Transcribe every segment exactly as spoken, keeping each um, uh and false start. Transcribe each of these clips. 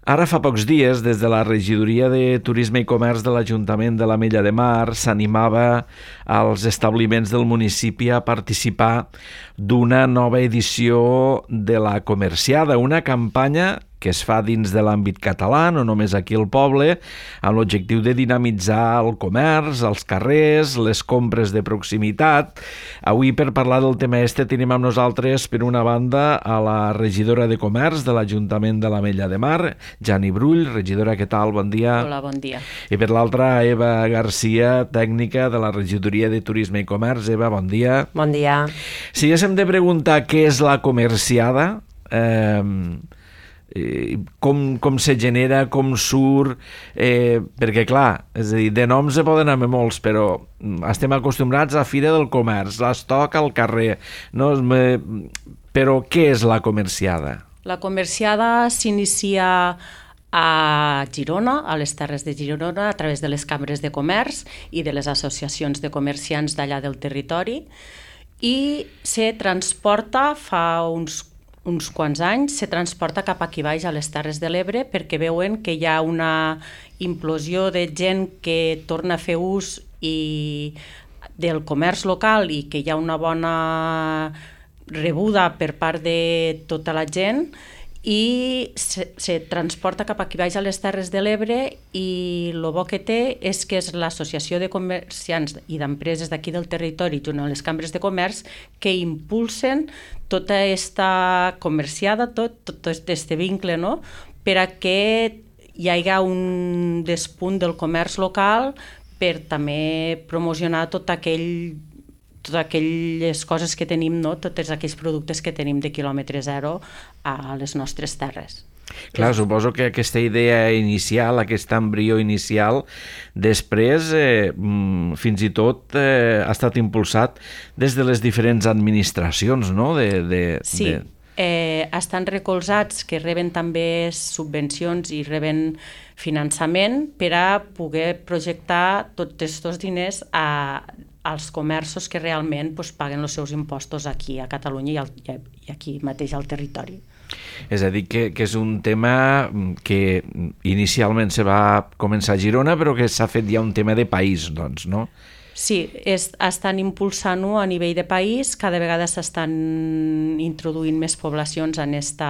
Ara fa pocs dies, des de la Regidoria de Turisme i Comerç de l'Ajuntament de l'Ametlla de Mar, s'animava als establiments del municipi a participar d'una nova edició de la Comerciada, una campanya que es fa dins de l'àmbit català, no només aquí al poble, amb l'objectiu de dinamitzar el comerç, els carrers, les compres de proximitat. Avui, per parlar del tema este, tenim amb nosaltres, per una banda, a la regidora de Comerç de l'Ajuntament de l'Ametlla de Mar, Jani Brull. Regidora, què tal? Bon dia. Hola, bon dia. I per l'altra, Eva Garcia, tècnica de la Regidoria de Turisme i Comerç. Eva, bon dia. Bon dia. Si haguéssim de preguntar què és la Comerciada, eh, com, com se genera, com surt, eh, perquè clar, és a dir, de noms se poden anar molts, però estem acostumbrats a Fira del Comerç, l'estoc al carrer, no? Però què és la Comerciada? La Comerciada s'inicia a Girona, a les Terres de Girona, a través de les cambres de comerç i de les associacions de comerciants d'allà del territori, i se transporta fa uns uns quants anys, se transporta cap aquí baix a les Terres de l'Ebre perquè veuen que hi ha una implosió de gent que torna a fer ús i del comerç local i que hi ha una bona rebuda per part de tota la gent i se, se transporta cap aquí baix a les Terres de l'Ebre i el bo que té és que és l'associació de comerciants i d'empreses d'aquí del territori junt amb les cambres de comerç que impulsen tota aquesta comerciada, tot, tot aquest vincle, no? Per a que hi hagi un despunt del comerç local per també promocionar tot aquell totes aquelles coses que tenim, no? Tots aquells productes que tenim de quilòmetre zero a les nostres terres. Clar, suposo que aquesta idea inicial, aquest embrió inicial, després, eh, fins i tot, eh, ha estat impulsat des de les diferents administracions, no? De, de, sí, de... Eh, estan recolzats, que reben també subvencions i reben finançament per a poder projectar tots aquests diners a als comerços que realment pues, paguen els seus impostos aquí a Catalunya i, al, i aquí mateix al territori. És a dir, que, que és un tema que inicialment se va començar a Girona, però que s'ha fet ja un tema de país, doncs, no? Sí, és, estan impulsant-ho a nivell de país, cada vegada s'estan introduint més poblacions en esta,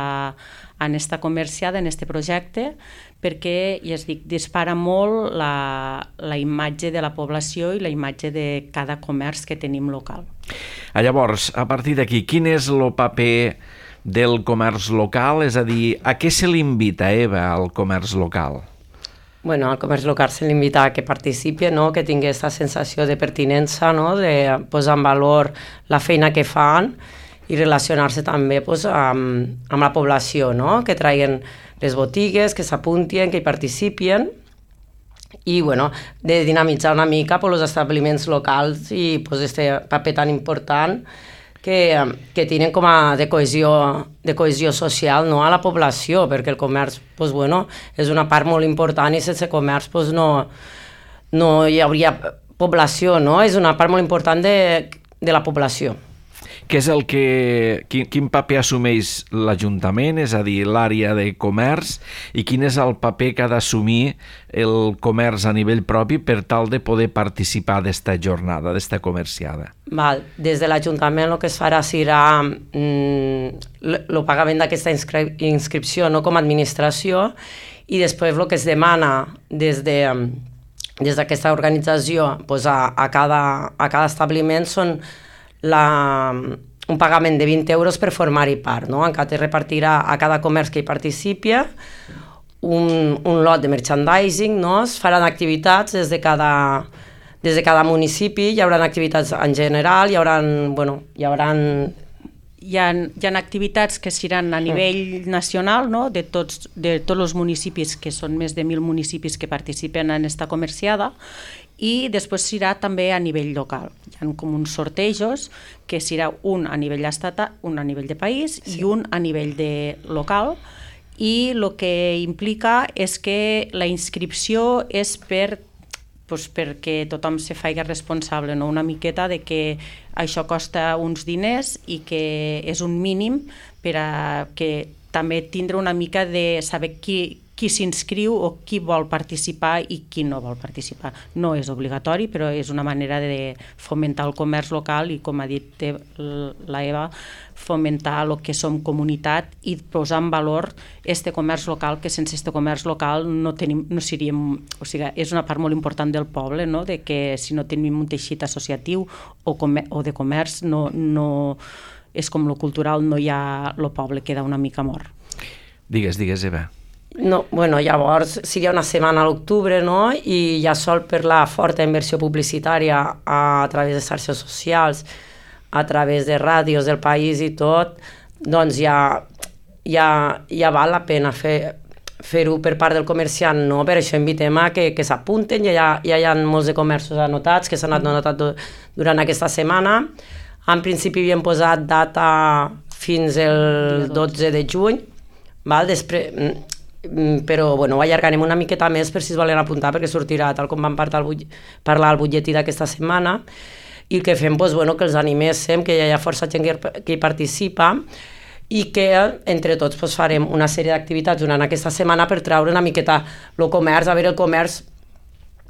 en esta comerciada, en este projecte, perquè, ja es dic, dispara molt la, la imatge de la població i la imatge de cada comerç que tenim local. Llavors, a partir d'aquí, quin és el paper del comerç local? És a dir, a què se l'invita, Eva, al comerç local? Bueno, al comerç local se l'invita a que participi, no? Que tingui aquesta sensació de pertinença, no? De posar en valor la feina que fan i relacionar-se també pues, amb, amb la població, no? Que traien les botigues, que s'apuntien, que hi participien i bueno, de dinamitzar una mica pues, els establiments locals i pues, este paper tan important que, que tenen com a de cohesió, de cohesió social, no? A la població, perquè el comerç pues, bueno, és una part molt important i sense comerç pues, no, no hi hauria població, no? És una part molt important de, de la població. Què és el que, quin, quin paper assumeix l'Ajuntament, és a dir, l'àrea de comerç, i quin és el paper que ha d'assumir el comerç a nivell propi per tal de poder participar d'esta jornada, d'esta comerciada? Val. Des de l'Ajuntament el que es farà serà mm, el pagament d'aquesta inscri inscripció no, com a administració i després el que es demana des de des d'aquesta organització pues, a, a, cada, a cada establiment són La, un pagament de vint euros per formar-hi part, no? En què es repartirà a cada comerç que hi participi un, un lot de merchandising, no? Es faran activitats des de cada, des de cada municipi, hi haurà activitats en general, hi haurà, bueno, hi haurà... Hi ha, hi ha activitats que seran a nivell nacional, no? de, tots, de tots els municipis, que són més de mil municipis que participen en esta comerciada, i després serà també a nivell local. Hi ha com uns sortejos que serà un a nivell estatal, un a nivell de país sí. I un a nivell de local, i el que implica és que la inscripció és per pues perquè tothom se faci responsable, no? Una miqueta de que això costa uns diners i que és un mínim per a que també tindre una mica de saber qui, qui s'inscriu o qui vol participar i qui no vol participar. No és obligatori, però és una manera de fomentar el comerç local i, com ha dit la Eva, fomentar el que som comunitat i posar en valor este comerç local, que sense este comerç local no tenim, no seríem, o sigui, és una part molt important del poble, no? De que si no tenim un teixit associatiu o, comer, o de comerç, no, no, és com lo cultural, no hi ha, lo poble queda una mica mort. Digues, digues, Eva. No, bueno, llavors seria una setmana a l'octubre, no? I ja sol per la forta inversió publicitària a través de xarxes socials, a través de ràdios del país i tot, doncs ja, ja, ja val la pena fer, fer-ho per part del comerciant, no? Per això invitem a que, que s'apunten, ja, ja, ja hi ha molts de comerços anotats que s'han anotat durant aquesta setmana. En principi havíem posat data fins el dotze de juny, val? Després, però bueno, ho allargarem una miqueta més per si es volen apuntar, perquè sortirà tal com vam parlar al butlletí d'aquesta setmana, i que fem, doncs, bueno, que els animéssim, que hi ha força gent que, que hi participa, i que entre tots doncs, farem una sèrie d'activitats durant aquesta setmana per treure una miqueta el comerç, a veure el comerç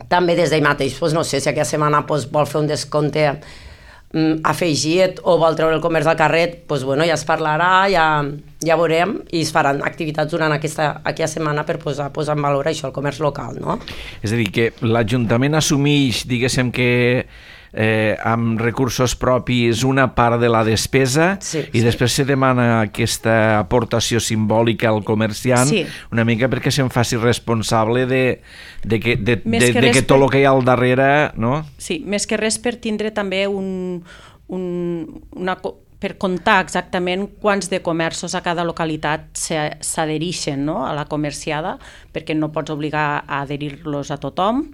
també des d'ell mateix, doncs, no sé si aquesta setmana doncs, vol fer un descompte afegit o vol treure el comerç al carrer, doncs bueno, ja es parlarà, ja, ja veurem, i es faran activitats durant aquesta, aquesta setmana per posar, posar en valor això, el comerç local, no? És a dir, que l'Ajuntament assumeix, diguéssim que eh, amb recursos propis una part de la despesa, sí, i sí. Després se demana aquesta aportació simbòlica al comerciant, sí. Una mica perquè se'n faci responsable de, de, que, de, de, de, de que tot el que hi ha al darrere, no? Sí, més que res per tindre també un, un, una, per comptar exactament quants de comerços a cada localitat s'adhereixen, no? A la comerciada, perquè no pots obligar a adherir-los a tothom,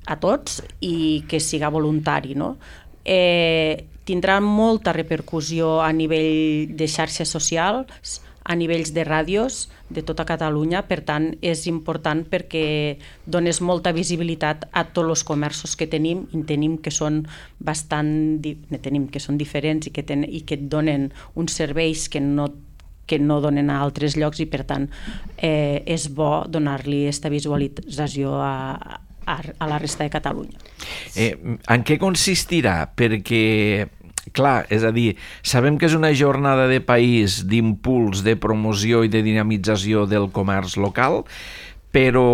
a tots, i que siga voluntari, no? Eh, tindrà molta repercussió a nivell de xarxes socials, a nivells de ràdios de tota Catalunya, per tant és important perquè dones molta visibilitat a tots els comerços que tenim, i tenim que són bastant tenim que són diferents i que, ten, i que donen uns serveis que no que no donen a altres llocs, i per tant eh, és bo donar-li aquesta visualització a a la resta de Catalunya. Eh, en què consistirà? Perquè, clar, és a dir, sabem que és una jornada de país d'impuls, de promoció i de dinamització del comerç local, però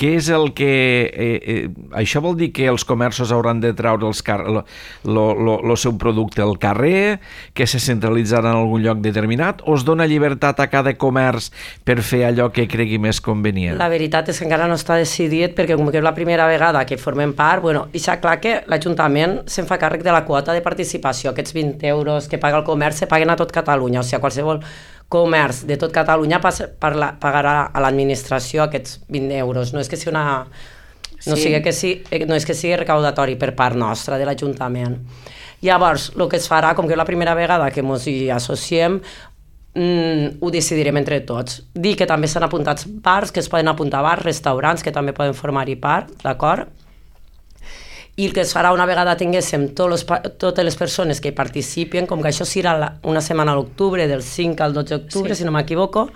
què és el que... Eh, eh, això vol dir que els comerços hauran de treure el seu producte al carrer, que se centralitzarà en algun lloc determinat, o es dona llibertat a cada comerç per fer allò que cregui més convenient? La veritat és que encara no està decidit, perquè com que és la primera vegada que formem part, bueno, deixa clar que l'Ajuntament se'n fa càrrec de la quota de participació. Aquests vint euros que paga el comerç se paguen a tot Catalunya, o sigui, qualsevol comerç de tot Catalunya pagarà a l'administració aquests vint euros. No és que sigui una... No, sí. sigui que sí, no és que sigui recaudatori per part nostra, de l'Ajuntament. Llavors, el que es farà, com que és la primera vegada que ens hi associem, mm, ho decidirem entre tots. Dir que també s'han apuntat bars, que es poden apuntar bars, restaurants, que també poden formar-hi part, d'acord? I el que es farà una vegada tinguéssim tots los, totes les persones que hi participen, com que això serà una setmana a l'octubre, del cinc al dotze d'octubre, sí. Si no m'equivoco,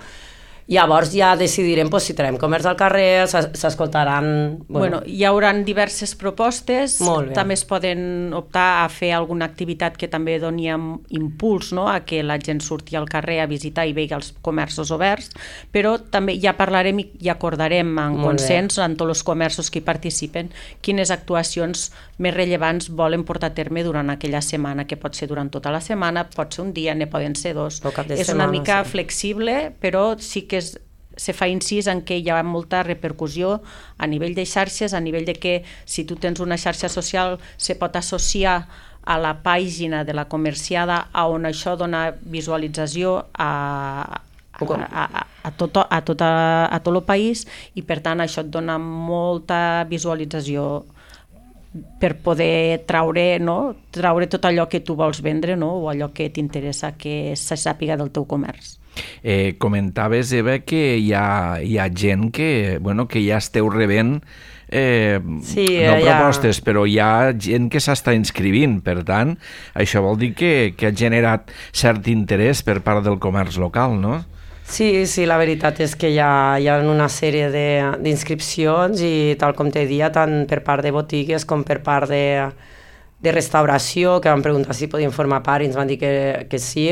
llavors ja decidirem pues, si traiem comerç al carrer, s'escoltaran... Bueno. Bueno, hi haurà diverses propostes, també es poden optar a fer alguna activitat que també doni impuls, no? A que la gent surti al carrer a visitar i vegi els comerços oberts, però també ja parlarem i acordarem en consens amb tots els comerços que hi participen quines actuacions més rellevants volen portar a terme durant aquella setmana, que pot ser durant tota la setmana, pot ser un dia, ne poden ser dos. És una mica flexible, però sí que es, se fa incís en que hi ha molta repercussió a nivell de xarxes, a nivell de que si tu tens una xarxa social se pot associar a la pàgina de la comerciada a on això dona visualització a, a, a, a, tot, a, tot, a, a tot el país, i per tant això et dona molta visualització per poder traure, no? traure tot allò que tu vols vendre, no? O allò que t'interessa que se sàpiga del teu comerç. Eh, comentaves, Eva, que hi ha, hi ha gent que, bueno, que ja esteu rebent eh, sí, no propostes, ja... però hi ha gent que s'està inscrivint, per tant, això vol dir que, que ha generat cert interès per part del comerç local, no? Sí, sí, la veritat és que hi ha, hi ha una sèrie d'inscripcions i tal com te dia, tant per part de botigues com per part de, de restauració, que van preguntar si podien formar part i ens van dir que, que sí.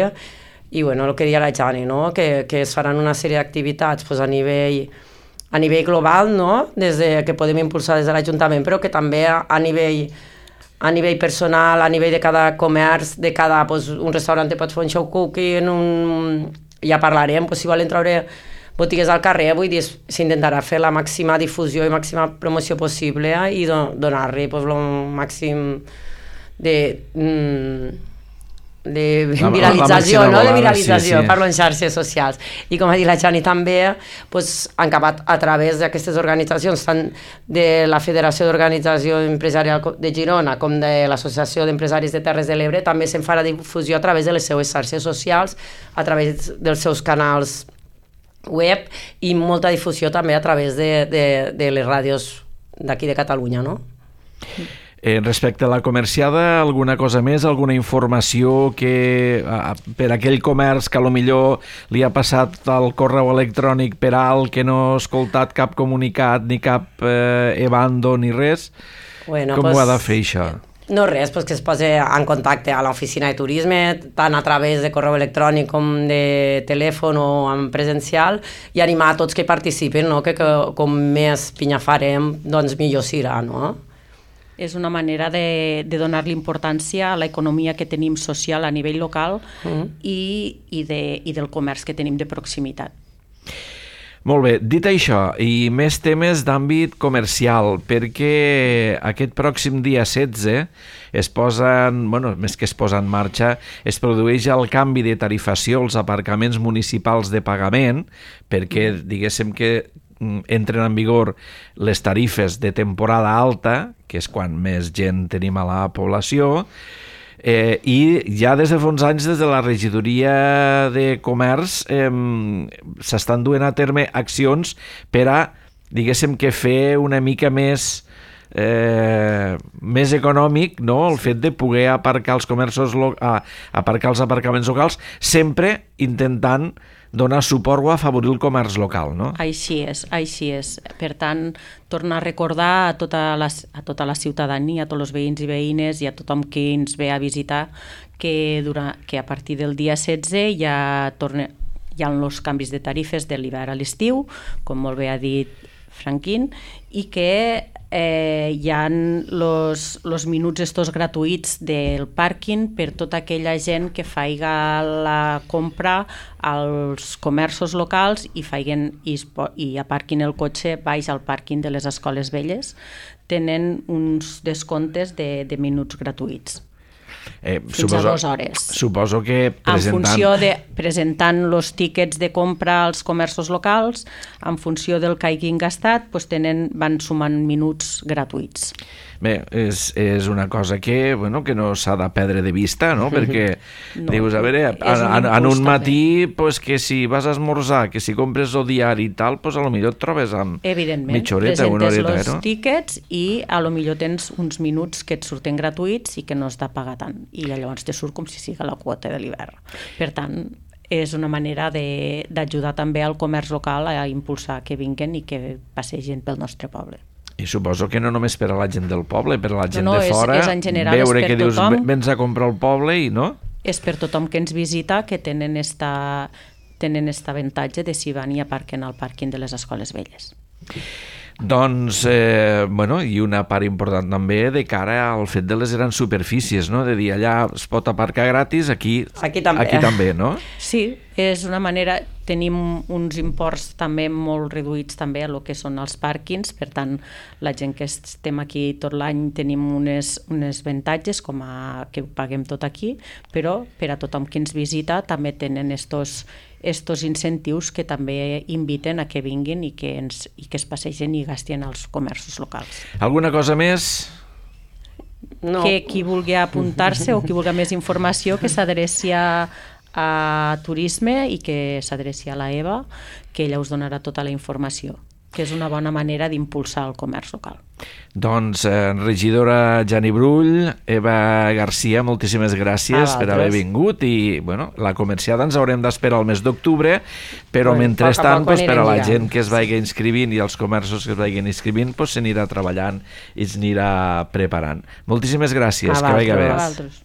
I bueno, el que deia la Jani, no? que, que es faran una sèrie d'activitats pues, a nivell a nivell global, no? Des de, que podem impulsar des de l'Ajuntament, però que també a, a nivell a nivell personal, a nivell de cada comerç, de cada, pues, un restaurant pot fer un show cooking, un... ja parlarem, pues, si volen treure botigues al carrer, vull dir, s'intentarà fer la màxima difusió i màxima promoció possible eh, i do, donar-li pues, el màxim de... Mm, de viralització, la, la no? de viralització, sí, sí. Parlo en xarxes socials. I com ha dit la Jani també, pues, han acabat a través d'aquestes organitzacions, tant de la Federació d'Organització Empresarial de Girona com de l'Associació d'Empresaris de Terres de l'Ebre, també se'n farà difusió a través de les seues xarxes socials, a través dels seus canals web i molta difusió també a través de, de, de les ràdios d'aquí de Catalunya, no? Eh, respecte a la comerciada, alguna cosa més, alguna informació que a, per aquell comerç que a lo millor li ha passat el correu electrònic per alt, que no ha escoltat cap comunicat, ni cap eh, ebando, ni res? Bueno, com pues, ho ha de fer això? No res, pues que es posi en contacte a l'oficina de turisme, tant a través de correu electrònic com de telèfon o en presencial, i animar a tots que participen, no? que, que com més pinya farem, doncs millor serà, no? És una manera de, de donar-li importància a l'economia que tenim social a nivell local mm. i, i, de, i del comerç que tenim de proximitat. Molt bé, dit això, i més temes d'àmbit comercial, perquè aquest pròxim dia setze es posen, bueno, més que es posa en marxa, es produeix el canvi de tarifació als aparcaments municipals de pagament, perquè diguéssim que entren en vigor les tarifes de temporada alta, que és quan més gent tenim a la població, eh, i ja des de fa uns anys des de la regidoria de comerç eh, s'estan duent a terme accions per a, diguéssim, que fer una mica més eh, més econòmic, no?, el fet de poder aparcar els comerços lo- a, aparcar els aparcaments locals, sempre intentant donar suport o afavorir el comerç local, no? Així és, així és. Per tant, tornar a recordar a tota la, a tota la ciutadania, a tots els veïns i veïnes i a tothom que ens ve a visitar que, durant, que a partir del dia setze ja torna, hi ha els canvis de tarifes de l'hivern a l'estiu, com molt bé ha dit Franquín, i que eh, hi ha els minuts estos gratuïts del pàrquing per tota aquella gent que faiga la compra als comerços locals i, faiguen, i, i aparquin el cotxe baix al pàrquing de les escoles velles. Tenen uns descomptes de, de minuts gratuïts. Eh, fins suposo, a dues hores. Suposo que presentant... En funció de presentant els tíquets de compra als comerços locals, en funció del que hagin gastat, doncs tenen, van sumant minuts gratuïts. Bé, és, és una cosa que, bueno, que no s'ha de perdre de vista, no? Perquè no, dius, a veure, en, en un matí, pues, que si vas a esmorzar, que si compres el diari i tal, pues, a lo millor et trobes amb mitja horeta o una horeta. Presentes els tíquets i a lo millor tens uns minuts que et surten gratuïts i que no has de pagar tant. I llavors te surt com si siga la quota de l'hivern. Per tant, és una manera d'ajudar també al comerç local a impulsar que vinguen i que passegin pel nostre poble. I suposo que no només per a la gent del poble, per a la gent no, no, de fora, és, és en general, veure és per que dius, tothom, vens a comprar al poble i no? És per tothom que ens visita, que tenen esta, tenen esta avantatge de si van i aparquen al pàrquing de les escoles velles. Doncs, eh, bueno, i una part important també de cara al fet de les grans superfícies, no? De dir, allà es pot aparcar gratis, aquí, aquí, també. aquí també, no? Sí, és una manera, tenim uns imports també molt reduïts també a lo que són els pàrquings, per tant, la gent que estem aquí tot l'any tenim unes, unes avantatges com a que ho paguem tot aquí, però per a tothom que ens visita també tenen estos estos incentius que també inviten a que vinguin i que, ens, i que es passegen i gastin als comerços locals. Alguna cosa més? No. Que qui vulgui apuntar-se o qui vulgui més informació que s'adreci a, a Turisme i que s'adreci a la Eva, que ella us donarà tota la informació. que és una bona manera d'impulsar el comerç local. Doncs, eh, regidora Jani Brull, Eva Garcia, moltíssimes gràcies per haver vingut i, bueno, la comerciada ens haurem d'esperar el mes d'octubre, però bueno, mentrestant, pues, per a la gent que es vagi inscrivint i els comerços que es vagin inscrivint, pues, s'anirà treballant i s'anirà preparant. Moltíssimes gràcies, que vagi bé.